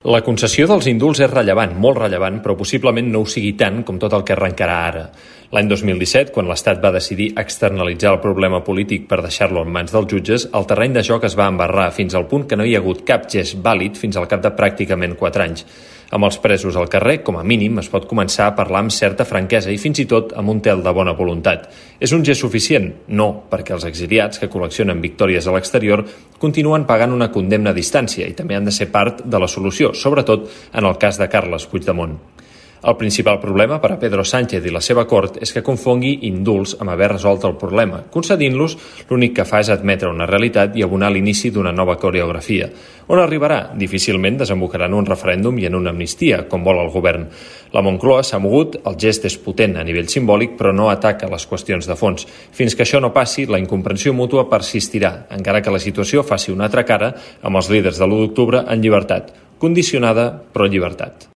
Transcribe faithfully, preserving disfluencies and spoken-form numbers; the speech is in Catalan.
La concessió dels indults és rellevant, molt rellevant, però possiblement no ho sigui tant com tot el que arrencarà ara. L'any dos mil disset, quan l'Estat va decidir externalitzar el problema polític per deixar-lo en mans dels jutges, el terreny de joc es va embarrar fins al punt que no hi ha hagut cap gest vàlid fins al cap de pràcticament quatre anys. Amb els presos al carrer, com a mínim, es pot començar a parlar amb certa franquesa i fins i tot amb un tel de bona voluntat. És un gest suficient? No, perquè els exiliats que col·leccionen victòries a l'exterior continuen pagant una condemna a distància i també han de ser part de la solució, sobretot en el cas de Carles Puigdemont. El principal problema per a Pedro Sánchez i la seva cort és que confongui indults amb haver resolt el problema. Concedint-los, l'únic que fa és admetre una realitat i abonar l'inici d'una nova coreografia. On arribarà? Difícilment desembocarà en un referèndum i en una amnistia, com vol el govern. La Moncloa s'ha mogut, el gest és potent a nivell simbòlic, però no ataca les qüestions de fons. Fins que això no passi, la incomprensió mútua persistirà, encara que la situació faci una altra cara amb els líders de l'u d'octubre en llibertat. Condicionada, però llibertat.